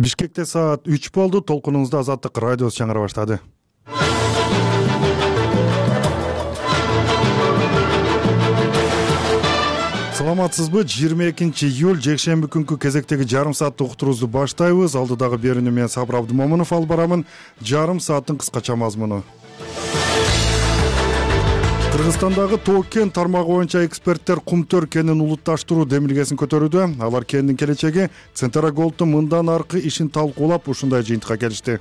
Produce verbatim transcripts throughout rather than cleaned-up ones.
Бишкекте саат үч болду. Толкунуңузда Азаттык радиосу жаңыра баштады. Саламатсызбы? жыйырма экинчи июль жекшемби күнкү кезектеги жарым сааттык уктуруубузду баштайбыз. Алдыдагы берүүнү мен Сабыр Абдымомунов алып барамын. Жарым сааттын кыскача мазмуну. Кыргызстандагы Тоо кен тармагы боюнча эксперттер Кумтөр кенин улутташтыруу демилгесин көтөрүүдө. Алар кендин келечеги Централголдтун мындан аркы ишин талкуулап, ушундай жыйынтыкка келишти.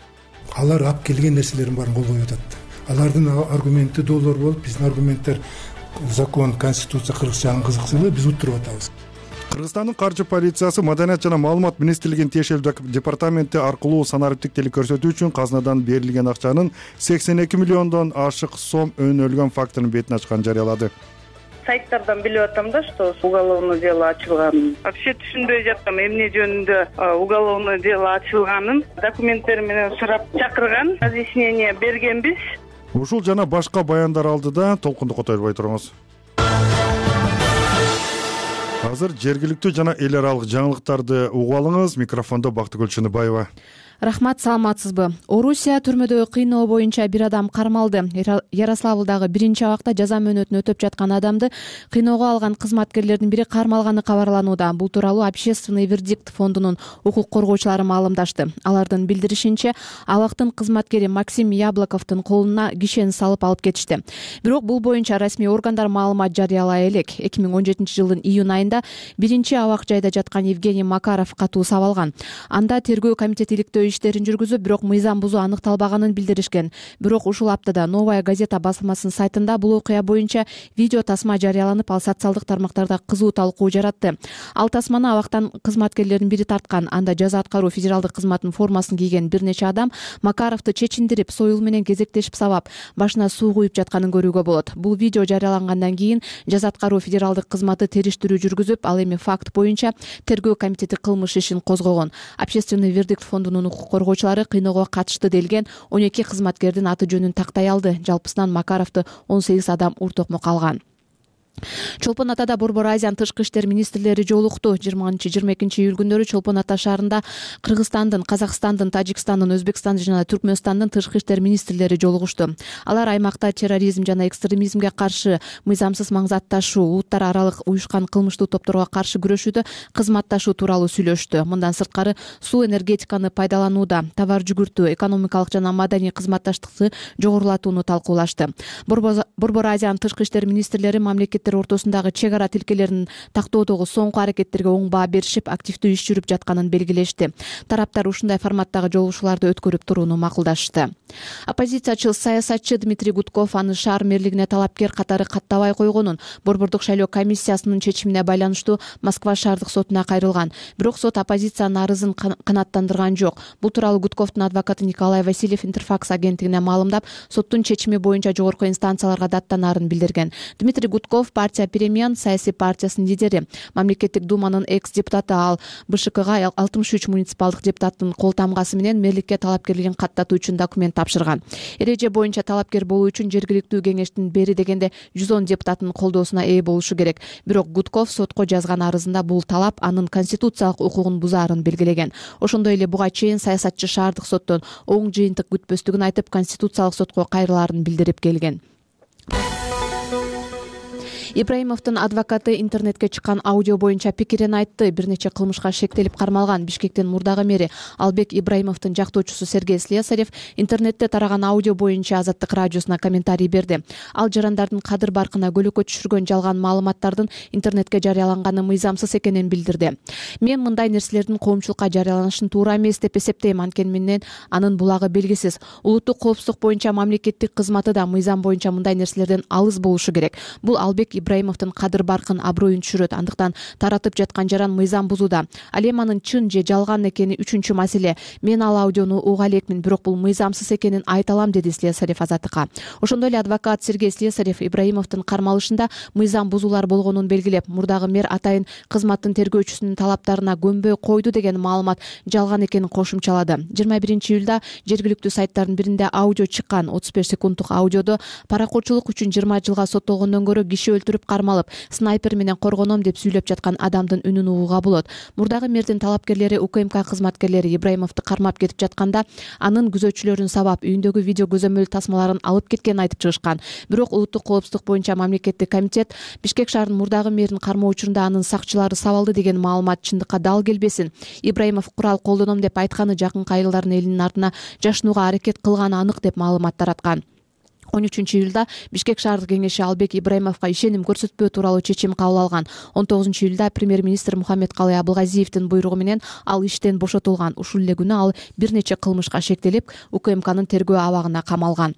Алар алып келген нерселерин баарын кол коюп атат. Алардын аргументи долбоор болуп, биздин аргументтер закон, конституция кыргызчанын кызыксыздыгы биз уттуруп атабыз. Кыргызстандын каржы полициясы Маданият жана маалымат министрлигинин тиешелүү департаменти аркылуу санариптиктелик көрсөтүү үчүн казынадан берилген акчанын сексен эки миллиондон ашык сом өнөлгөн фактынын бетин ачканын жарыялады. Сайттардан билип атам да, что уголовное дело ачылганын. Вообще түшүнбөй жаттым, эмне жөнүндө уголовное дело ачылганын. Документтер менен сурап чакырган, разъяснение бергенбиз. Ушул жана башка баяндар алдыда толкунду которбой туруңуз. Азыр жергиликтүү жана эл аралык жаңылыктарды угуп алыңыз. Микрофондо Бактыгүл Чыныбаева. Рахмат, саламатсызбы? Орусия түрмөдө кыйноо боюнча бир адам кармалды. Ярославлдагы биринчи абакта жаза мөөнөтүн өтөп жаткан адамды кыйноого алган кызматкерлердин бири кармалганы кабарланууда. Бул тууралуу Общественный вердикт фондунун укук коргоочулары маалымдашты. Алардын билдиришинче, абактын кызматкери Максим Яблоковдун колуна кишени салып алып кетишти. Бирок бул боюнча расмий органдар маалымат жарыялай элек. эки миң он жетинчи жылдын июнь айында биринчи абак жайда жаткан Евгений Макаров катуу сабалган. Анда тергөө комитети иликтөө иштерин жүргүзүп, бирок мыйзам бузуу аныкталбаганын билдиришкен. Бирок ушул аптада Новая газета басылмасынын сайтында бул окуя боюнча видео тасма жарыяланып, ал социалдык тармактарда кызуу талкуу жаратты. Ал тасманы абактан кызматкерлердин бири тарткан. Анда жаза аткаруу федералдык кызматынын формасын кийген бир нече адам Макаровду чечиндирип, союл менен кезектешип сабап, башына суу куюп жатканын көрүүгө болот. Бул видео жарыялангандан кийин жаза аткаруу федералдык кызматы териштирүү жүргүзүп, ал эми факт боюнча тергөө комитети кылмыш ишин козгогон. Общественный вердикт фондунун коргоочулары кыйноого катышты делген он эки кызматкердин аты жөнүн тактай алды. Жалпысынан Макаровду он сегиз адам уртокмок алган. Чолпон Атада Борбор Азиянын тышкы иштер министрлери жолукту. жыйырманчы жыйырма экинчи июль күндөрү Чолпон Ата шаарында Кыргызстандын, Казакстандын, Тажикстандын, Өзбекстандын жана Түркмөнстандын тышкы иштер министрлери жолугушту. Алар аймакта терроризм жана экстремизмге каршы, мыйзамсыз маңзат ташуу, улуттар аралык уюшкан кылмыштуу топторго каршы күрөшүүдө кызматташуу тууралуу сүйлөштү. Мындан сырткары суу энергетиканы пайдаланууда товар жүгүртүү, экономикалык жана маданий кызматташтыкты жогорулатууну талкуулашты. Борбор Азиянын тышкы иштер министрлери мамлекет ортосундагы чек ара тилкелерин тактоодогу соңку аракеттерге оң баа беришип, активдүү иш жүрүп жатканын белгилешти. Тараптар ушундай форматтагы жолугушууларды өткөрүп турууну макулдашты. Оппозициячыл саясатчы Дмитрий Гудков аны шаар мэрлигине талапкер катары каттабай койгонун, Борбордук шайлоо комиссиясынын чечимине байланыштуу Москва шаардык сотуна кайрылган. Бирок сот оппозициянын арызын канааттандырган жок. Бул тууралуу Гудковдун адвокаты Николай Васильев Интерфакс агенттигине маалымдап, соттун чечими боюнча жогорку инстанцияларга даттанаарын билдирген. Дмитрий Гудков партия Перемен саясий партиясынын лидери, мамлекеттик думанын экс-депутаты, ал БШКга алтымыш үч муниципалдык депутаттын кол тамгасы менен мэрликке талапкерлигин каттатуу үчүн документ тапшырган. Эреже боюнча талапкер болуу үчүн жергиликтүү кеңештин бери дегенде жүз он депутаттын колдоосуна ээ болушу керек. Бирок Гудков сотко жазган арызында бул талап анын конституциялык укугун бузаарын белгилеген. Ошондой эле буга чейин саясатчы шаардык соттон оң жыйынтык күтпөстүгүн айтып, конституциялык сотко кайрылаарын билдирип келген. Ибраимовдун адвокаты интернетке чыккан аудио боюнча пикирин айтты. Бир нече кылмышка шектелип кармалган Бишкектин мурдагы мэри Албек Ибраимовдун жактоочусу Сергей Слесарев интернетте тараган аудио боюнча Азаттык радиосуна комментарий берди. Ал жарандардын кадыр баркына көлөкө түшүргөн жалган маалыматтардын интернетке жарыяланганы мыйзамсыз экенин билдирди. Мен мындай нерселердин коомчулукка жарыяланышын туура эмес деп эсептейм, анткени менен анын булагы белгисиз. Улуттук коопсуздук боюнча мамлекеттик кызматы да мыйзам боюнча мындай нерселерден алыс болушу керек. Бул Албек Ибраимовдун кадыр баркын, аброюн түшүрөт. Андыктан таратып жаткан жаран мыйзам бузууда. Ал эми анын чын же жалган экени үчүнчү маселе. Мен ал аудиону уга элекмин, бирок бул мыйзамсыз экенин айта алам, деди Слесарев Азаттыкка. Ошондой эле адвокат Сергей Слесарев Ибраимовдун кармалышында мыйзам бузуулар болгонун белгилеп, мурдагы мэр атайын кызматтын тергөөчүсүнүн талаптарына көнбөй койду деген маалымат жалган экенин кошумчалады. жыйырма биринчи июлда жергиликтүү сайттардын биринде аудио чыккан. отуз беш секунддук аудиодо паракорчулук үчүн жыйырма жылга соттолгондон көрө киши өлтүрүп өлтүрүп кармалып снайпер менен коргоном деп сүйлөп жаткан адамдын үнүн угууга болот. Мурдагы мэрдин талапкерлери УКМК кызматкерлери Ибраимовду кармап кетип жатканда анын күзөтчүлөрүн сабап үйүндөгү видео көзөмөл тасмаларын алып кеткенин айтып чыгышкан. Бирок улуттук коопсуздук боюнча мамлекеттик комитет Бишкек шаарынын мурдагы мэрин кармоо учурунда анын сакчылары сабалды деген маалымат чындыкка дал келбесин. Ибраимов курал колдоном деп айтканы жакынкы айылдардын элинин артына жашынууга аракет кылганы анык деп маалымат тараткан. он үчүнчү июлда Бишкек шаардык кеңеши Албек Ибраимовго ишеним көрсөтпөө тууралуу чечим кабыл алган. он тогузунчу июлда премьер-министр Мухаммедкалый Абылгазиевдин буйругу менен ал иштен бошотулган. Ушул эле күнү ал бир нече кылмышка шектелип, УКМКнын тергөө абагына камалган.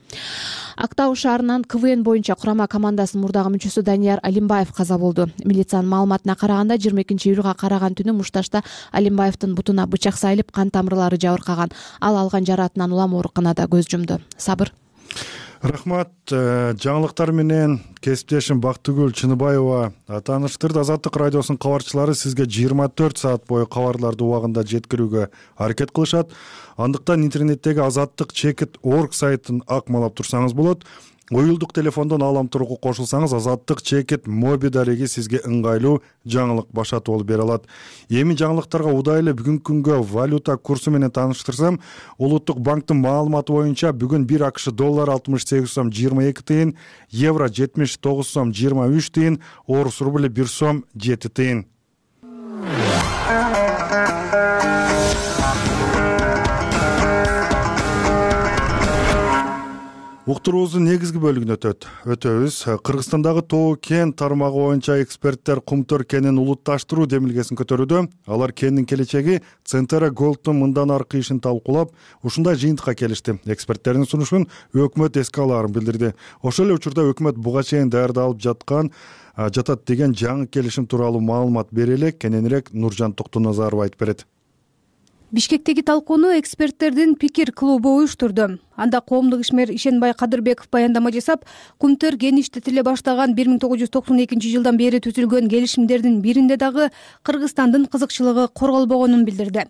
Актау шаарынын КВН боюнча курама командасынын мурдагы мүчөсү Данияр Алимбаев каза болду. Милициянын маалыматына караганда жыйырма экинчи июлга караган түнү Мушташта Алимбаевдин бутуна бычак сайылып, кан тамырлары жабыркаган. Ал алган жараатынан улам ооруканада көз жумду. Сабыр. Рахмат. Жаңылыктар менен кесиптешим Бактыгүл Чыныбаева тааныштырды. Азаттык радиосунун кабарчылары сизге жыйырма төрт саат бою кабарларды убагында жеткирүүгө аракет кылышат. Андыктан интернеттеги азаттык чекит орг сайтын акмалап турсаңыз болот. Уюлдук телефондон алам тургу кошулсаңыз азаттык чекит моби дареги сизге ыңгайлуу жаңылык башатып алып бере алат. Эми жаңылыктарга удайлы бүгүнкү күнгө валюта курсу менен тааныштырсам, Улуттук банктын маалыматы боюнча бүгүн бир АКШ доллар алтымыш сегиз сом жыйырма эки тыйын, евро жетимиш тогуз сом жыйырма үч тыйын, орус рубли бир сом жети тыйын. Уктуруубуздун негизги бөлүгүнө өтөт. Өтөбүз. Кыргызстандагы Тоо кен тармагы боюнча эксперттер Кумтөр кенин улутташтыруу демилгесин көтөрүүдө. Алар кендин келечеги Центера Голдтун мындан аркы ишин талкуулап, ушундай жыйынтыкка келишти. Эксперттердин сунушун өкмөт эске алаарын билдирди. Ошол эле учурда өкмөт буга чейин даярдалып жаткан жатат деген жаңы келишим тууралуу маалымат бере элек. Кененирээк Нуржан Токтоназаров айтып берет. Бишкектеги талкууну эксперттердин пикир клубу уюштурду. Анда коомдук ишмер Ишенбай Кадырбеков баяндама жасап, Кумтөр кен иштетиле баштаган бир миң тогуз жүз токсон экинчи жылдан бери түзүлгөн келишимдердин биринде дагы Кыргызстандын кызыкчылыгы корголбогонун билдирди.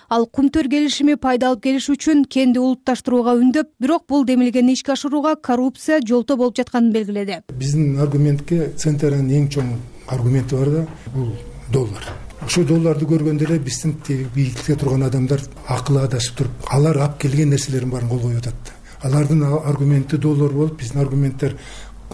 Ал Кумтөр келишими пайда алып келиш үчүн кенди улутташтырууга үндөп, бирок бул демилгени ишке ашырууга коррупция жолтоо болуп жатканын белгиледи. Биздин аргументке Центранын эң чоң аргументи бар да, бул доллар. Ошол долларды көргөндө эле биздин бийликте турган адамдар акылы адашып туруп, алар алып келген нерселердин баарын кол коюп атат. Алардын аргументи доллар болуп, биздин аргументтер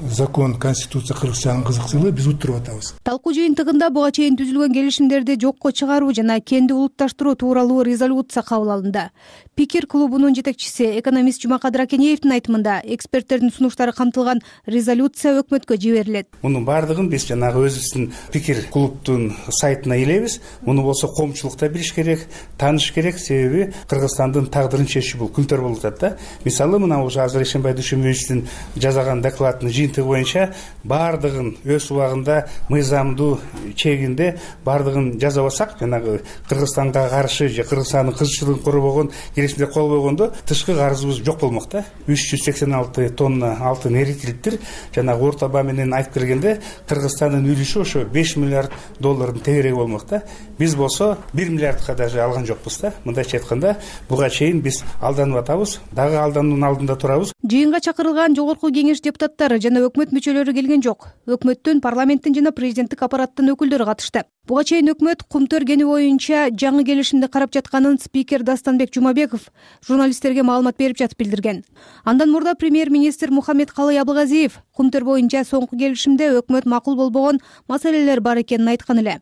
закон, конституция, кыргызчанын кызыкчылыгы биз уттуруп атабыз. Талкуу жыйынтыгында буга чейин түзүлгөн келишимдерди жокко чыгаруу жана кенди улутташтыруу тууралуу резолюция кабыл алынды. Пикир клубунун жетекчиси экономист Жумакадыр Акенеевдин айтымында, эксперттердин сунуштары камтылган резолюция өкмөткө жиберилет. Мунун баардыгын биз жанагы өзүбүздүн пикир клубтун сайтына илебиз. Муну болсо коомчулук да билиш керек, тааныш керек, себеби Кыргызстандын тагдырын чечүү бул Кумтөр болуп атат да. Мисалы, мына уже азыр Ишенбай Дүйшөнбаевдин жазаган докладынын жыйынтыгы боюнча баардыгын өз убагында мыйзамдуу чегинде баардыгын жаза алсак, жанагы Кыргызстанга каршы же Кыргызстандын кызыкчылыгын корбогон келишимде кол койгондо тышкы карызыбыз жок болмок да. үч жүз сексен алты тонна алтын эритилиптир. Жанагы орто баа менен айтып бергенде Кыргызстандын үлүшү ошо беш миллиард доллардын тегереги болмок да. Биз болсо бир миллиардка даже алган жокпуз да. Мындайча айтканда, буга чейин биз алданып атабыз, дагы алдануунун алдында турабыз. Жыйынга чакырылган жогорку кеңеш депутаттары жана өкмөт мүчөлөрү келген жок. Өкмөттүн, парламенттин жана президенттик аппараттын өкүлдөрү катышты. Буга чейин өкмөт Кумтөр кени боюнча жаңы келишимди карап жатканын спикер Дастанбек Жумабеков журналисттерге маалымат берип жатып билдирген. Андан мурда премьер-министр Мухаммедкалый Абылгазиев Кумтөр боюнча соңку келишимде өкмөт макул болбогон маселелер бар экенин айткан эле.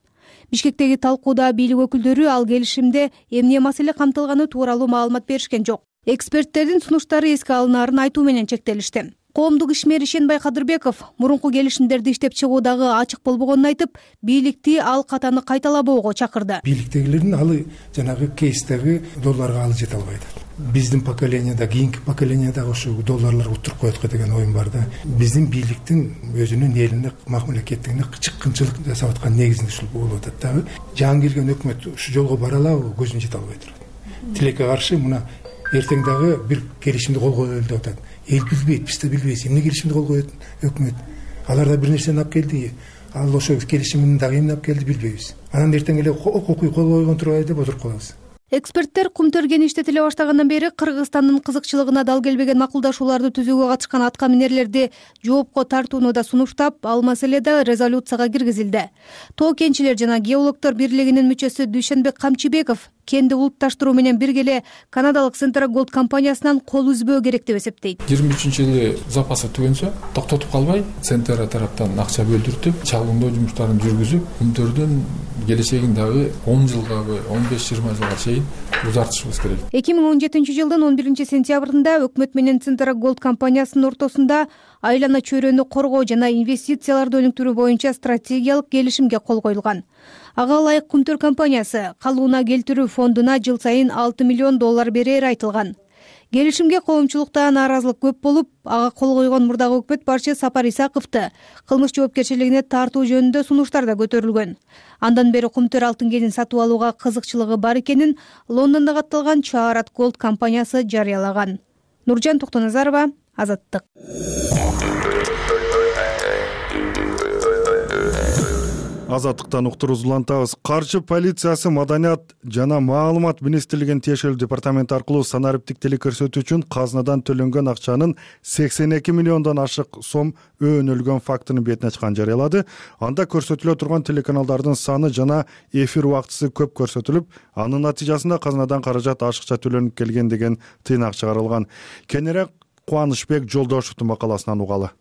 Бишкектеги талкууда бийлик өкүлдөрү ал келишимде эмне маселе камтылганы тууралуу маалымат беришкен жок. Эксперттердин сунуштары эске алынаарын айтуу менен чектелишти. Коомдук ишмер Ишенбай Кадырбеков мурунку келишимдерди иштеп чыгуудагы ачык болбогонун айтып, бийликти ал катаны кайталабоого чакырды. Бийликтегилердин алы жанагы кейстеги долларга алы жете албайт. Биздин поколениеда, кийинки поколениеда ошо долларлар утуруп коет деген оюм бар да. Биздин бийликтин өзүнүн элине, мамлекеттигине чыккынчылык жасап аткан негизинде ушул болуп атат дагы. Жаңы келген өкмөт ушу жолго бара алабы, көзүм жете албай турат. Тилекке каршы мына эртең дагы бир келишимди кол коелу деп атат. Эл билбейт, биз да билбейбиз. Эмне келишимди кол коет өкмөт? Алар да бир нерсени алып келди. Ал ошо келишимин дагы эмне алып келди билбейбиз. Анан эртең эле окуй кол койгон турбайбы деп отуруп калабыз. Эксперттер Кумтөргени иштетиле баштагандан бери Кыргызстандын кызыкчылыгына дал келбеген макулдашууларды түзүүгө катышкан аткаминерлерди жоопко тартууну да сунуштап, ал маселе да резолюцияга киргизилди. Тоо кенчилер жана геологдор бирлигинин мүчөсү Дүйшөнбек Камчыбеков кенди улутташтыруу менен бирге эле канадалык Central Gold компаниясынан кол үзбөө керек деп эсептейт. жыйырма үчүнчү жылы запасы түгөнсө токтотуп калбай, Центра тараптан акча бөлдүртүп, чагылымдоо жумуштарын жүргүзүп, Кумтөрдүн келечегин дагы он жылгабы, он беш жыйырма жылга чейин узартышыбыз керек. эки миң он жетинчи жылдын он биринчи сентябрында өкмөт менен Central Gold компаниясынын ортосунда айлана чөйрөнү коргоо жана инвестицияларды өнүктүрүү боюнча стратегиялык келишимге кол коюлган. Ага ылайык Кумтөр компаниясы калыбына келтирүү фондуна жыл сайын алты миллион доллар берери айтылган. Келишимге коомчулукта нааразылык көп болуп, ага кол койгон мурдагы өкмөт башчы Сапар Исаковду кылмыш жоопкерчилигине тартуу жөнүндө сунуштар да көтөрүлгөн. Андан бери Кумтөр алтын кенин сатып алууга кызыкчылыгы бар экенин Лондондо катталган Чаарат Gold компаниясы жарыялаган. Нуржан Токтоназарова, Азаттык. Азаттыктан уктуруубузду улантабыз. Каржы полициясы Маданият жана маалымат министрлигинин тиешелүү департаменти аркылуу санариптик телекөрсөтүү үчүн казынадан төлөнгөн акчанын сексен эки миллиондон ашык сом өөнөлгөн фактынын бетин ачканын жарыялады. Анда көрсөтүлө турган телеканалдардын саны жана эфир убактысы көп көрсөтүлүп, анын натыйжасында казынадан каражат ашыкча төлөнүп келген деген тыйнак чыгарылган. Кененирээк Кубанычбек Жолдошевдун макаласынан угалы.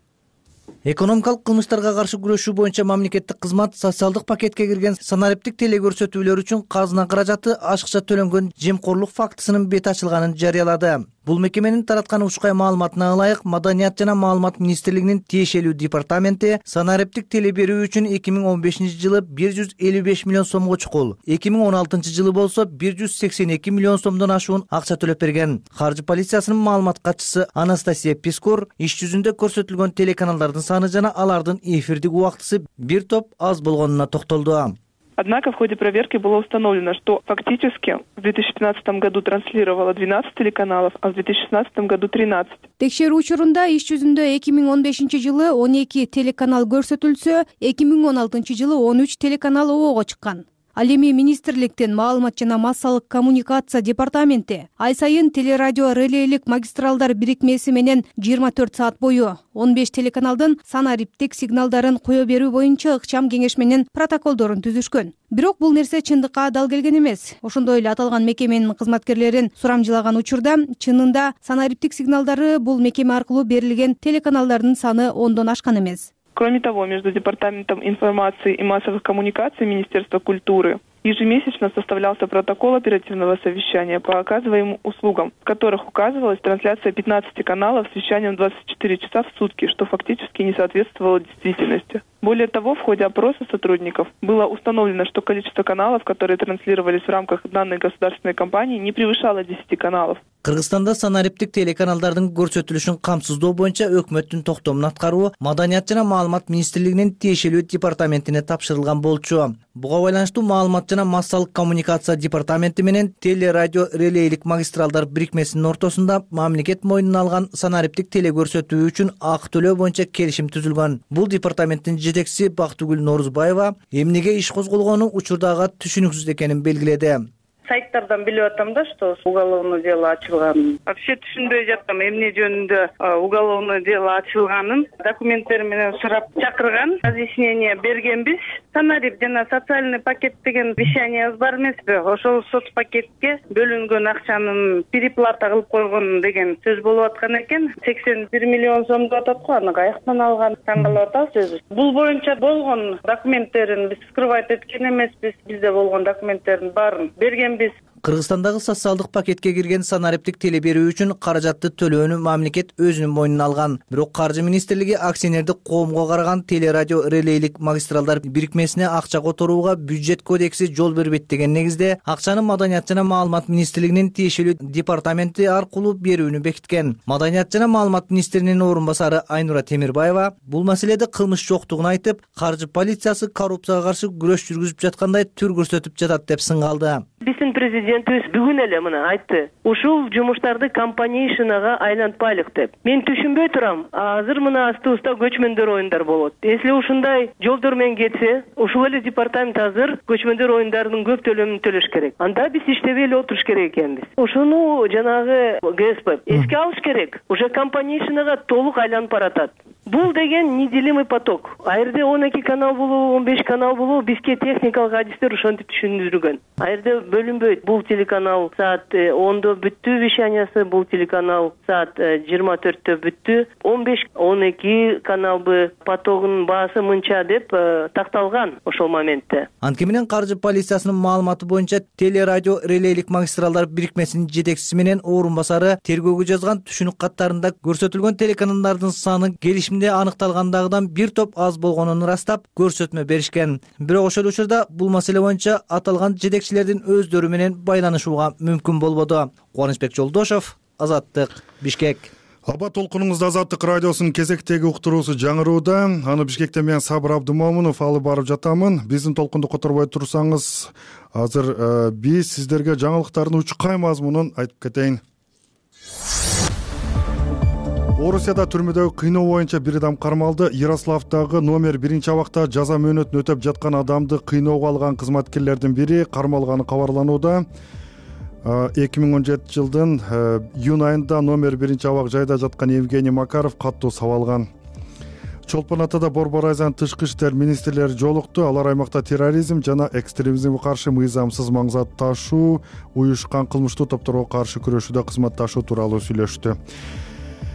Экономикалык кылмыштарга каршы күрөшүү боюнча мамлекеттик кызмат социалдык пакетке кирген санариптик телекөрсөтүүлөр үчүн казына каражаты ашыкча төлөнгөн жемкорлук фактысынын бети ачылганын жарыялады. Бул мекеменин тараткан учкай маалыматына ылайык, Маданият жана маалымат министрлигинин тиешелүү департаменти санариптик теле берүү үчүн эки миң он бешинчи жылы бир жүз элүү беш миллион сомго чукул, эки миң он алтынчы жылы болсо бир жүз сексен эки миллион сомдон ашуун акча төлөп берген. Каржы полициясынын маалымат катчысы Анастасия Пискор иш жүзүндө көрсөтүлгөн телеканалдардын саны жана алардын эфирдик убактысы бир топ аз болгонуна токтолду. Однако в ходе проверки было установлено, что фактически в две тысячи пятнадцатом году транслировало двенадцать телеканалов, а в две тысячи шестнадцатом году тринадцать. Текшерүү учурунда иш жүзүндө эки миң он бешинчи жылы он эки телеканал көрсөтүлсө, эки миң он алтынчы жылы он үч телеканал обого чыккан. Ал эми министрликтин маалымат жана массалык коммуникация департаменти ай сайын телерадио релейлик магистралдар бирикмеси менен жыйырма төрт саат бою он беш телеканалдын санариптик сигналдарын кое берүү боюнча ыкчам кеңеш менен протоколдорун түзүшкөн. Бирок бул нерсе чындыкка дал келген эмес. Ошондой эле аталган мекеменин кызматкерлерин сурамжылаган учурда чынында санариптик сигналдары бул мекеме аркылуу берилген телеканалдардын саны ондон ашкан эмес. Кроме того, между Департаментом информации и массовых коммуникаций Министерства культуры ежемесячно составлялся протокол оперативного совещания по оказываемым услугам, в которых указывалась трансляция пятнадцати каналов с вещанием двадцать четыре часа в сутки, что фактически не соответствовало действительности. Более того, в ходе опроса сотрудников было установлено, что количество каналов, которые транслировались в рамках данной государственной кампании, не превышало десяти каналов. Кыргызстанда санариптик телеканалдардын көрсөтүлүшүн камсыздоо боюнча өкмөттүн токтомун аткаруу Маданият жана маалымат министрлигинин тиешелүү департаментине тапшырылган болчу. Буга байланыштуу маалымат жана массалык коммуникация департаменти менен телерадио релейлик магистралдар бирикмесинин ортосунда мамлекет мойнуна алган санариптик телекөрсөтүү үчүн акы төлөө боюнча келишим түзүлгөн. Бул департаменттин жетекчиси Бактыгүл Норузбаева эмнеге иш козголгону учурдагы түшүнүксүз экенин белгиледи. Сайттардан билип атам да, что уголовное дело ачылганын. Вообще түшүнбөй жаттым эмне жөнүндө уголовное дело ачылганын. Документтер менен сурап чакырган, разъяснение бергенбиз. Санарип жана социальный пакет деген вещание бар эмеспи? Ошол соцпакетке бөлүнгөн акчанын переплата кылып койгон деген сөз болуп аткан экен. сексен бир миллион сом деп атат го, аны каяктан алган? Таң калып атабыз өзүбүз. Бул боюнча болгон документтерин биз скрывать эткен эмеспиз. Бизде болгон документтердин баарын берген. Кыргызстандагы социалдык пакетке кирген санариптик теле берүү үчүн каражатты төлөөнү мамлекет өзүнүн мойнуна алган. Бирок Каржы министрлиги акционердик коомго караган телерадио релейлик магистралдар бирикмесине акча которууга бюджет кодекси жол бербейт деген негизде акчаны Маданият жана маалымат министрлигинин тиешелүү департаменти аркылуу берүүнү бекиткен. Маданият жана маалымат министринин орун басары Айнура Темирбаева бул маселеде кылмыш жоктугун айтып, каржы полициясы коррупцияга каршы күрөш жүргүзүп жаткандай түр көрсөтүп жатат деп сынгалды. Биздин президентибиз бүгүн эле мына айтты, ушул жумуштарды компанейшнага айлантпайлык деп. Мен түшүнбөй турам, азыр мына астыбызда көчмөндөр оюндар болот. Если ушундай жолдор менен кетсе, ушул эле департамент азыр көчмөндөр оюндарынын көп төлөмүн төлөш керек. Анда биз иштебей эле отуруш керек экенбиз. Ошону жанагы ГСП эске алыш керек. Уже компанейшнага толук айланып баратат. Бул деген неделимый поток. А жерде он эки канал болобу, он беш канал болобу, бизге техникалык адистер ошентип түшүндүргөн. А жерде бөлүнбөйт. Бул телеканал саат ондо бүттү вещаниясы, бул телеканал саат жыйырма төрттө бүттү. он беш он эки каналбы потогунун баасы мынча деп такталган ошол моментте. Анткени менен каржы полициясынын маалыматы боюнча телерадио релейлик магистралдар бирикмесинин жетекчиси менен орун басары тергөөгө жазган түшүнүк каттарында көрсөтүлгөн телеканалдардын саны келишимде аныкталгандагыдан бир топ аз болгонун ырастап көрсөтмө беришкен. Бирок ошол учурда бул маселе боюнча аталган жетекчилердин өздөрү менен байланышууга мүмкүн болбоду. Кубанычбек Жолдошов, Азаттык, Бишкек. Аба толкунуңузда Азаттык радиосунун кезектеги уктуруусу жаңырууда. Аны Бишкектен мен Сабыр Абдымомунов алып барып жатамын. Биздин толкунду которбой турсаңыз, азыр биз сиздерге жаңылыктардын учкай мазмунун айтып кетейин. Орусияда түрмөдөгү кыйноо боюнча бир адам кармалды. Ярославдагы номер биринчи абакта жаза мөөнөтүн өтөп жаткан адамды кыйноого алган кызматкерлердин бири кармалганы кабарланууда. эки миң он жетинчи жылдын июнь айында номер биринчи абак жайда жаткан Евгений Макаров каттуу сабалган. Чолпон Атада Борбор Айзанын тышкы иштер министрлери жолукту. Алар аймакта терроризм жана экстремизмге каршы мыйзамсыз маң зат ташуу, уюшкан кылмыштуу топторго каршы күрөшүүдө кызматташуу тууралуу сүйлөштү.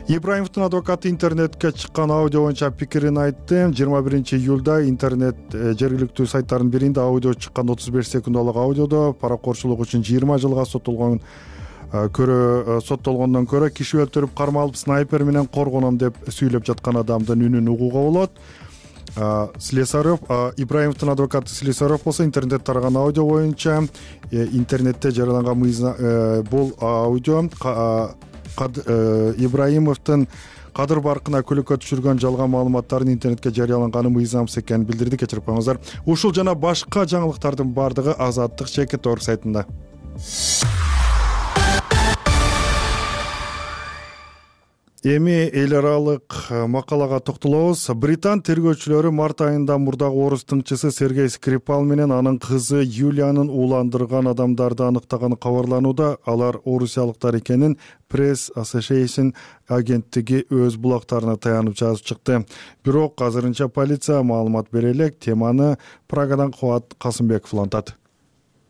Ибраимовдун адвокаты интернетке чыккан аудио боюнча пикирин айтты. жыйырма биринчи июлда интернет жергиликтүү сайттардын биринде аудио чыккан отуз беш секундалык аудиодо паракорчулук үчүн жыйырма жылга соттолгон көрө соттолгондон көрө киши өлтүрүп кармалып снайпер менен коргоном деп сүйлөп жаткан адамдын үнүн угууга болот. Слесарев, Ибраимовдун адвокаты Слесарев болсо интернет тараган аудио боюнча интернетте жарыяланган мыйзам бул аудио Ибраимовдун кадыр баркына көлөккө түшүргөн жалган маалыматтардын интернетке жарыяланганы мыйзамсыз экенин билдирди. Кечирип коюңуздар. Ушул жана башка жаңылыктардын бардыгы Азаттык Чекит орг сайтында. Эми эл аралык макалага токтолобуз. Британ тергөөчүлөрү март айында мурдагы орус тыңчысы Сергей Скрипал менен анын кызы Юлиянын ууландырган адамдарды аныктаганы кабарланууда. Алар орусиялыктар экенин Press Association агенттиги өз булактарына таянып жазып чыкты. Бирок азырынча полиция маалымат бере элек. Теманы Прагадан Кубат Касымбеков улантат.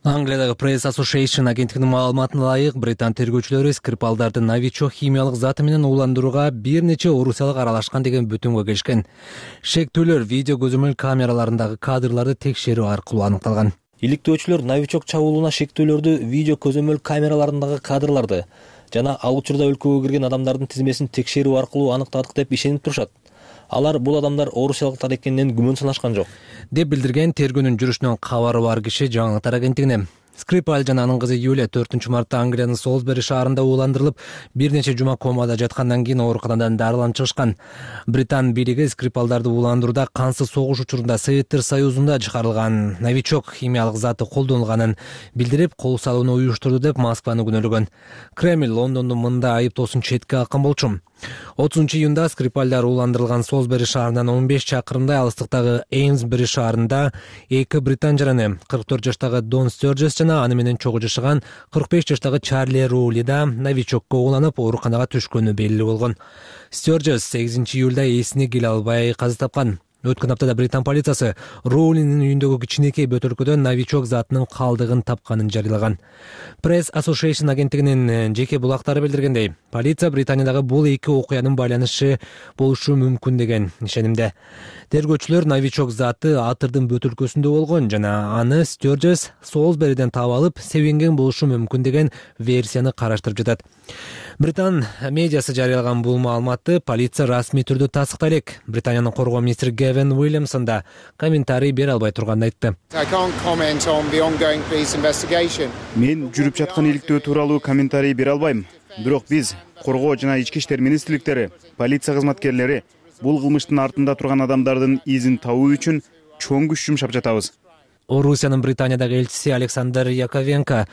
Англиядагы Press Association агенттигинин маалыматына ылайык, британ тергөөчүлөрү Скрипалдарды новичок химиялык заты менен ууландырууга бир нече орусиялык аралашкан деген бүтүмгө келишкен. Шектүүлөр видео көзөмөл камераларындагы кадрларды текшерүү аркылуу аныкталган. Иликтөөчүлөр новичок чабуулуна шектүүлөрдү видео көзөмөл камераларындагы кадрларды жана ал учурда өлкөгө кирген адамдардын тизмесин текшерүү аркылуу аныктадык деп ишенип турушат. Алар бул адамдар орусиялыктар экенинен күмөн санашкан жок, деп билдирген тергөөнүн жүрүшүнөн кабары бар киши жаңылыктар агенттигине. Скрипал жана анын кызы Юлия төртүнчү мартта Англиянын Солсбери шаарында ууландырылып, бир нече жума комада жаткандан кийин ооруканадан дарыланып чыгышкан. Британ бийлиги Скрипалдарды ууландырууда кансыз согуш учурунда Советтер Союзунда чыгарылган новичок химиялык заты колдонулганын билдирип, кол салууну уюштурду деп Москваны күнөөлөгөн. Кремль Лондондун мындай айыптоосун четке каккан болчу. отузунчу июнда Скрипалдар ууландырылган Солсбери шаарынан он беш чакырымдай алыстыктагы Эйнсбери шаарында эки британ жараны кырк төрт жаштагы Дон Стерджес жана аны менен чогуу жашаган кырк беш жаштагы Чарли Роули да новичокко ууланып ооруканага түшкөнү белгилүү болгон. Стерджес сегизинчи июлда эсине келе албай каза тапкан. Өткөн аптада британ полициясы Роулинин үйүндөгү кичинекей бөтөлкөдөн новичок затынын калдыгын тапканын жарыялаган. Press Association агенттигинин жеке булактары билдиргендей, полиция Британиядагы бул эки окуянын байланышы болушу мүмкүн деген ишенимде. Тергөөчүлөр новичок заты атырдын бөтөлкөсүндө болгон жана аны Стерджес Солсбериден таап алып, себенген болушу мүмкүн деген версияны караштырып жатат. Британ медиасы жарыялаган бул маалыматты полиция расмий түрдө тастыктай элек. Британиянын коргоо министри Гевин Уильямсон да комментарий бере албай турганын айтты. Мен жүрүп жаткан иликтөө тууралуу комментарий бере албайм. Бирок биз коргоо жана ички иштер министрликтери, полиция кызматкерлери бул кылмыштын артында турган адамдардын изин табуу үчүн чоң күч жумшап жатабыз. Орусиянын Британиядагы элчиси Александр Яковенко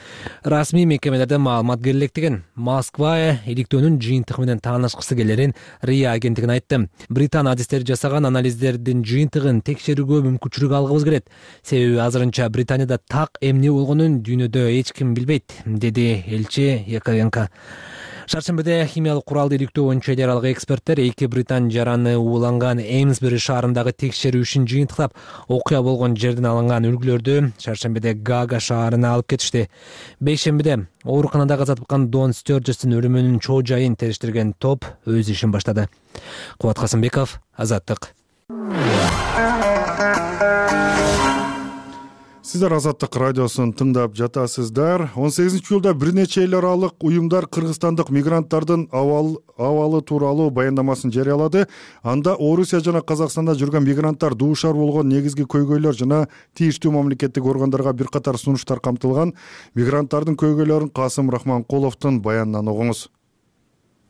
расмий мекемелерден маалымат керектигин, Москва иликтөөнүн жыйынтыгы менен таанышкысы келерин РИА агенттигине айтты. Британ адистери жасаган анализдердин жыйынтыгын текшерүүгө мүмкүнчүлүк алгыбыз келет. Себеби азырынча Британияда так эмне болгонун дүйнөдө эч ким билбейт, деди элчи Яковенко. Шаршембиде химиялык куралды иликтөө боюнча эл аралык эксперттер эки британ жараны ууланган Эймсбери шаарындагы текшерүү ишин жыйынтыктап, окуя болгон жерден алынган үлгүлөрдү шаршембиде Гага шаарына алып кетишти. Бейшембиде ооруканада каза тапкан Дон Стёрджестин өлүмүнүн чоо жайын териштирген топ өз ишин баштады. Кубат Касымбеков, Азаттык. Сиздер Азаттык радиосун тыңдап жатасыздар. он сегизинчи июлда бир нече эл аралык уюмдар кыргызстандык мигранттардын абалы тууралуу баяндамасын жарыялады. Анда Орусия жана Казакстанда жүргөн мигранттар дуушар болгон негизги көйгөйлөр жана тийиштүү мамлекеттик органдарга бир катар сунуштар камтылган. Мигранттардын көйгөйлөрүн Касым Рахманкуловдун баянынан угуңуз.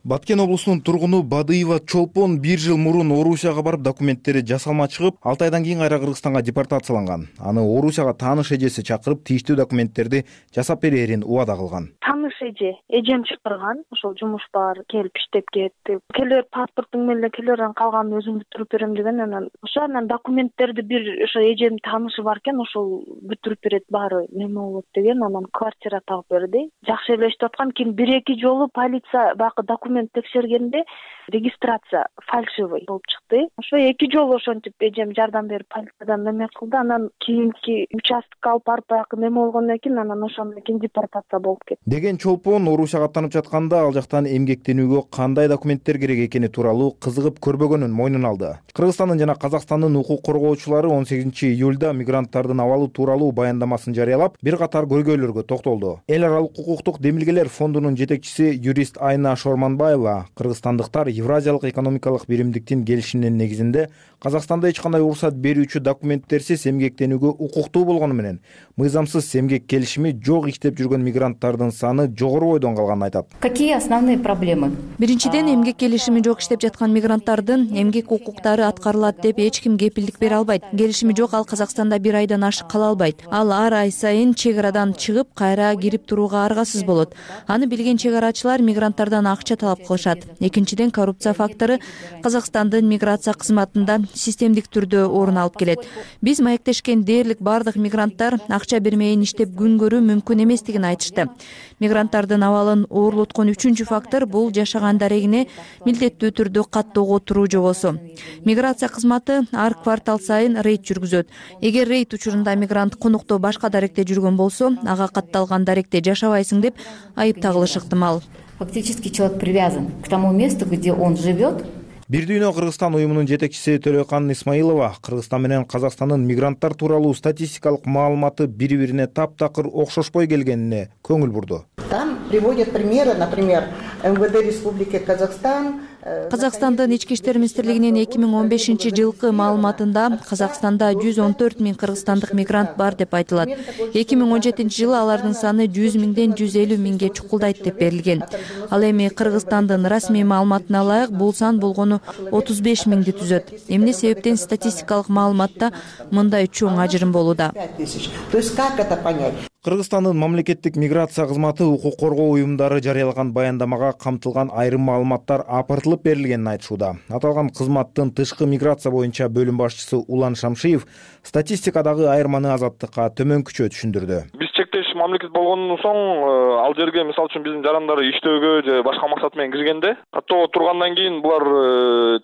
Баткен облусунун тургуну Бадыева Чолпон бир жыл мурун Орусияга барып документтери жасалма чыгып, алты айдан кийин кайра Кыргызстанга депортацияланган. Аны Орусияга тааныш эжеси чакырып, тийиштүү документтерди жасап берерин убада кылган. Тааныш эже, эжем чакырган, ошол жумуш бар, келип иштеп кетти. Келер паспорттуң менен келерден калганын өзүм бүтүрүп берем деген, анан ошо анан документтерди бир ошо эжем таанышы бар экен, ошол бүтүрүп берет, баары неме болот деген, анан квартира таап берди. Жакшы эле иштеп аткан, кийин бир эки жолу полиция бакы документ текшергенде регистрация фальшивый болуп чыкты. Ошо эки жолу ошентип эжем жардам берип полициядан неме кылды. Анан кийинки участокко алып барып баягы неме болгондон кийин анан ошондон кийин депортация болуп кетти. Деген Чолпон Орусияга аттанып жатканда ал жактан эмгектенүүгө кандай документтер керек экени тууралуу кызыгып көрбөгөнүн мойнуна алды. Кыргызстандын жана Казакстандын укук коргоочулары он сегизинчи июлда мигранттардын абалы тууралуу баяндамасын жарыялап, бир катар көйгөйлөргө токтолду. Эл аралык укуктук демилгелер фондунун жетекчиси юрист Айна Шорманбаева кыргызстандыктар Евразиялык экономикалык биримдиктин келишиминин негизинде Казакстанда эч кандай уруксат берүүчү документтерсиз эмгектенүүгө укуктуу болгону менен мыйзамсыз эмгек келишими жок иштеп жүргөн мигранттардын саны жогору бойдон калганын айтат. Какие основные проблемы? Биринчиден, эмгек келишими жок иштеп жаткан мигранттардын эмгек укуктары аткарылат деп эч ким кепилдик бере албайт. Келишими жок, ал Казакстанда бир айдан ашык кала албайт. Ал ар ай сайын чек арадан чыгып, кайра кирип турууга аргасыз болот. Аны билген чек арачылар мигранттардан акча талап кылышат. Экинчиден, коррупция фактору Казакстандын миграция кызматында системдик түрдө орун алып келет. Биз маектешкен дээрлик бардык мигранттар акча бермейин иштеп күн көрүү мүмкүн эместигин айтышты. Мигранттардын абалын оорлоткон үчүнчү фактор бул жашаган дарегине милдеттүү түрдө каттоого туруу жобосу. Миграция кызматы ар квартал сайын рейд жүргүзөт. Эгер рейд учурунда мигрант конукто башка даректе жүргөн болсо, ага катталган даректе жашабайсың деп айып тагылышы ыктымал. Фактически человек привязан к тому месту, где он живет. Бир дүйнө Кыргызстан уюмунун жетекчиси Төлөкан Исмаилова Кыргызстан менен Казакстандын мигранттар тууралуу статистикалык маалыматы бири-бирине таптакыр окшошпой келгенине көңүл бурду. Там приводят примеры, например, эм вэ дэ Республики Казахстан. Казакстандын ички иштер министрлигинин эки миң он бешинчи жылкы маалыматында Казакстанда жүз он төрт миң кыргызстандык мигрант бар деп айтылат. эки миң он жетинчи жылы алардын саны жүз миңден жүз элүү миңге чукулдайт деп берилген. Ал эми Кыргызстандын расмий маалыматына ылайык бул сан болгону отуз беш миңди түзөт. Эмне себептен статистикалык маалыматта мындай чоң ажырым болууда? То есть как это понять? Кыргызстандын мамлекеттик миграция кызматы укук коргоо уюмдары жарыялаган баяндамага камтылган айрым маалыматтар апартылып берилгенин айтышууда. Аталган кызматтын тышкы миграция боюнча бөлүм башчысы Улан Шамшиев статистикадагы айырманы Азаттыкка төмөнкүчө түшүндүрдү. Биз чектеш мамлекет болгондон соң ал жерге мисалы үчүн биздин жарандар иштөөгө же башка максат менен киргенде каттоого тургандан кийин булар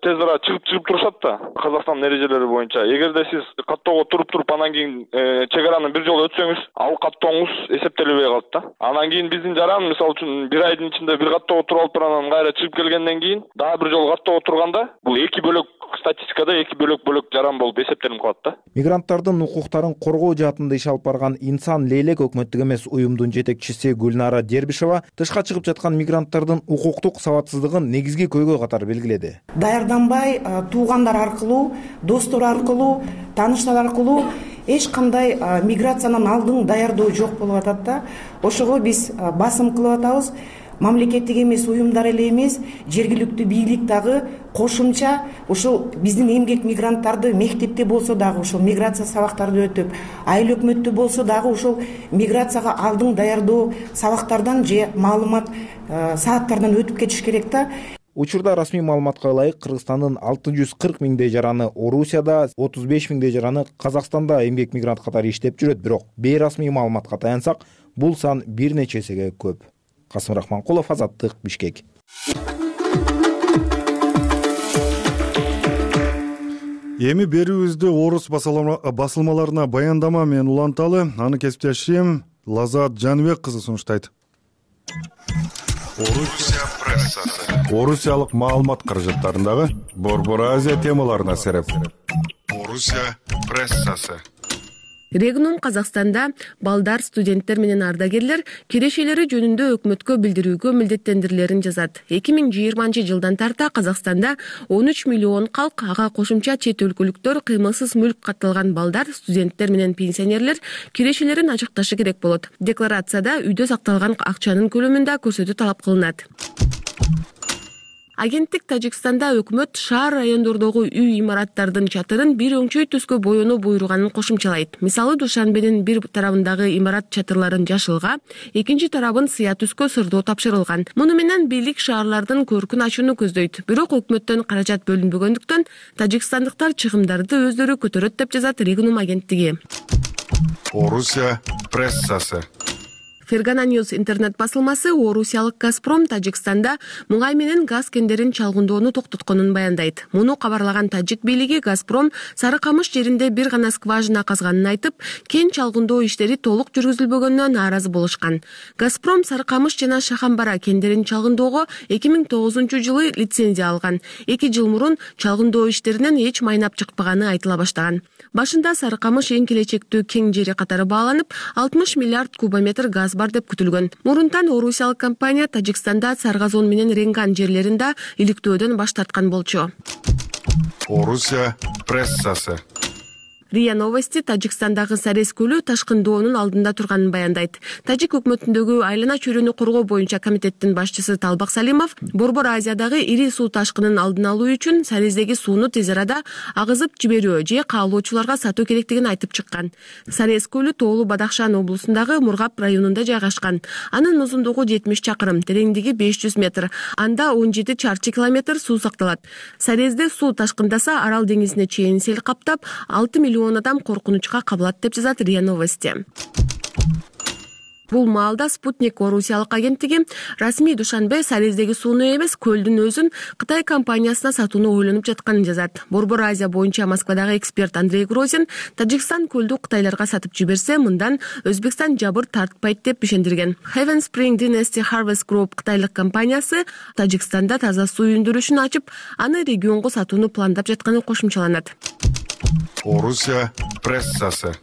тез ара чыгып чыгып турушат да Казакстандын эрежелери боюнча. Эгерде сиз каттоого туруп туруп анан кийин чек араны бир жолу өтсөңүз, ал каттооңуз эсептелбей калат да. Анан кийин биздин жаран мисалы үчүн бир айдын ичинде бир каттоого туруп алып туруп анан кайра чыгып келгенден кийин дагы бир жолу каттоого турганда бул эки бөлөк статистикада эки бөлөк-бөлөк жаран болуп эсептелип калат да. Мигранттардын укуктарын коргоо жаатында иш алып барган Инсан Лейлек өкмөттүк эмес уюмдун жетекчиси Гүлнара Дербишева тышка чыгып жаткан мигранттардын укуктук сабатсыздыгын негизги көйгөй катары белгиледи. Даярданбай, туугандар аркылуу, достор аркылуу, тааныштар аркылуу эч кандай миграциянын алдын даярдоо жок болуп атат да. Ошого биз басым кылып атабыз. мамлекеттик эмес уюмдар эле эмес, жергиликтүү бийлик дагы кошумча ушул биздин эмгек мигранттарды мектепте болсо дагы ушул миграция сабактарды өтүп, айыл өкмөттө болсо дагы ушул миграцияга алдын даярдоо сабактардан же маалымат сааттардан өтүп кетиш керек да. Учурда расмий маалыматка ылайык Кыргызстандын алты жүз кырк миңдей жараны Орусияда, отуз беш миңдей жараны Казакстанда эмгек мигрант катары иштеп жүрөт. Бирок бейрасмий маалыматка таянсак, бул сан бир нече эсеге көп. Касым Рахманкулов, Азаттык, Бишкек. Эми берүүбүздү орус басылмаларына баяндама менен уланталы. Аны кесиптешим Лазат Жаныбек кызы сунуштайт. Орусия прессасы. Орусиялык маалымат каражаттарындагы Борбор Азия темаларына сереп. Орусия прессасы. Регнум Казакстанда балдар, студенттер менен ардагерлер кирешелери жөнүндө өкмөткө билдирүүгө милдеттендирилерин жазат. эки миң жыйырманчы жылдан тарта Казакстанда он үч миллион калк, ага кошумча чет өлкөлүктөр, кыймылсыз мүлк катталган балдар, студенттер менен пенсионерлер кирешелерин ачыкташы керек болот. Декларацияда үйдө сакталган акчанын көлөмүндө көрсөтүү талап кылынат. Агенттик Тажикстанда өкмөт шаар райондордогу үй имараттардын чатырын бир өңчөй түскө боёнуу буйруганын кошумчалайт. Мисалы, Душанбенин бир тарабындагы имарат чатырларын жашылга, экинчи тарабын сыя түскө сырдоо тапшырылган. Муну менен бийлик шаарлардын көркүн ачууну көздөйт. Бирок өкмөттөн каражат бөлүнбөгөндүктөн тажикстандыктар чыгымдарды өздөрү көтөрөт деп жазат Регнум агенттиги. Орусия прессасы. Фергана Ньюс интернет басылмасы орусиялык Газпром Тажикстанда мугай менен газ кендерин чалгындоону токтотконун баяндайт. Муну кабарлаган тажик бийлиги Газпром Сары Камыш жеринде бир гана скважина казганын айтып, кен чалгындоо иштери толук жүргүзүлбөгөнүнө нааразы болушкан. Газпром Сары Камыш жана Шахамбара кендерин чалгындоого эки миң тогузунчу жылы лицензия алган. эки жыл мурун чалгындоо иштеринен эч майнап чыкпаганы айтыла баштаган. Башында Сары Камыш эң келечектүү кен жери катары бааланып, алтымыш миллиард кубометр газ бар деп күтүлгөн. Мурунтан орусиялык компания Тажикстанда Саргазон менен Ренган жерлеринде иликтөөдөн баш тарткан болчу. Орусия прессасы. РИА Новости Тажикстандагы Сарез көлү ташкындоонун алдында турганын баяндайт. Тажик өкмөтүндөгү айлана чөйрөнү коргоо боюнча комитеттин башчысы Талбак Салимов Борбор Азиядагы ири суу ташкынын алдын алуу үчүн Сарездеги сууну тез арада агызып жиберүү же каалоочуларга сатуу керектигин айтып чыккан. Сарез көлү Тоолу Бадахшан облусундагы Мургап районунда жайгашкан. Анын узундугу жетимиш чакырым, тереңдиги беш жүз метр. Анда он жети чарчы километр суу сакталат. Сарезде суу ташкындаса Арал деңизине чейин сел каптап, алты миллион адам коркунучка кабылат деп жазат РИА Новости. Бул маалда Спутник орусиялык агенттиги расмий Душанбе Сарездеги сууну эмес, көлдүн өзүн Кытай компаниясына сатууну ойлонуп жатканын жазат. Борбор Азия боюнча Москвадагы эксперт Андрей Грозин Тажикстан көлдү Кытайларга сатып жиберсе, мындан Өзбекстан жабыр тартпайт деп ишендирген. Heaven Spring Dynasty Harvest Group кытайлык компаниясы Тажикстанда таза суу өндүрүшүн ачып, аны регионго сатууну пландап жатканы кошумчаланат. Орусия прессасы.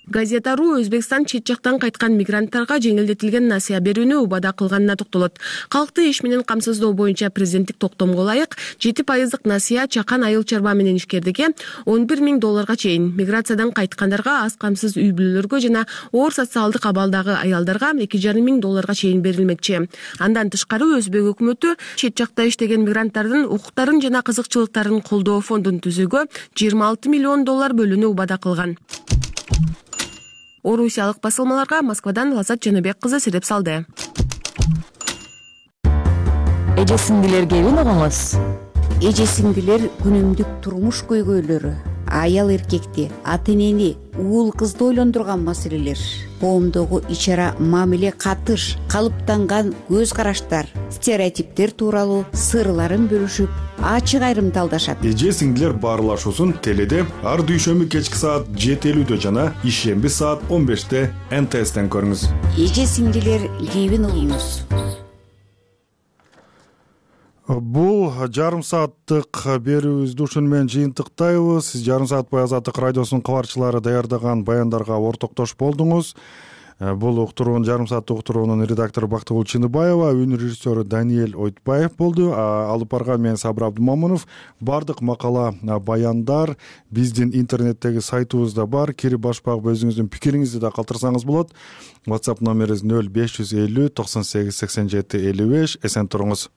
Газета.ру Өзбекстан чет жактан кайткан мигранттарга жеңилдетилген насыя берүүнү убада кылганына токтолот. Калкты иш менен камсыздоо боюнча президенттик токтомго ылайык жети пайыздык насыя чакан айыл чарба менен ишкердиге он бир миң долларга чейин, миграциядан кайткандарга, аз камсыз үй бүлөлөргө жана оор социалдык абалдагы аялдарга эки жарым миң долларга чейин берилмекчи. Андан тышкары Өзбек өкмөтү чет жакта иштеген мигранттардын укуктарын жана кызыкчылыктарын колдоо фондун түзүүгө жыйырма алты миллион доллар бөлүүнү убада кылган. Орусиялык басылмаларга Москвадан Лазат Жаныбек кызы сереп салды. Эже сиңдилерге угуңуз. Эже сиңдилер күнүмдүк турмуш көйгөйлөрү, аял эркекти, ата энени, уул кызды ойлондурган маселелер, коомдогу ичара мамиле, катыш, калыптанган көз караштар, стереотиптер тууралуу сырларын бөлүшүп, ачык айрымталдашат. Эже сиңдилер баарлашуусун теледе ар дүйшөмбү кечки саат жети элүүдө жана ишемби саат он беште эн тэ эстен көрүңүз. Эже сиңдилер кийбин угуңуз. Бул жарым сааттык берүүбүздү ушуну менен жыйынтыктайбыз. Сиз жарым саат бою Азаттык радиосунун кабарчылары даярдаган баяндарга ортоктош болдуңуз. Бул уктуруунун жарым сааттык уктуруунун редактору Бактыгүл Чыныбаева, үнү режиссеру Даниэль Ойтбаев болду. Алып барган мен Сабыр Абдымамунов. Бардык макала, баяндар биздин интернеттеги сайтыбызда бар. Кирип башып багып өзүңүздүн пикириңизди да калтырсаңыз болот. WhatsApp номерибиз нөл беш жүз элүү токсон сегиз сексен жети элүү беш. Эсен туруңуз.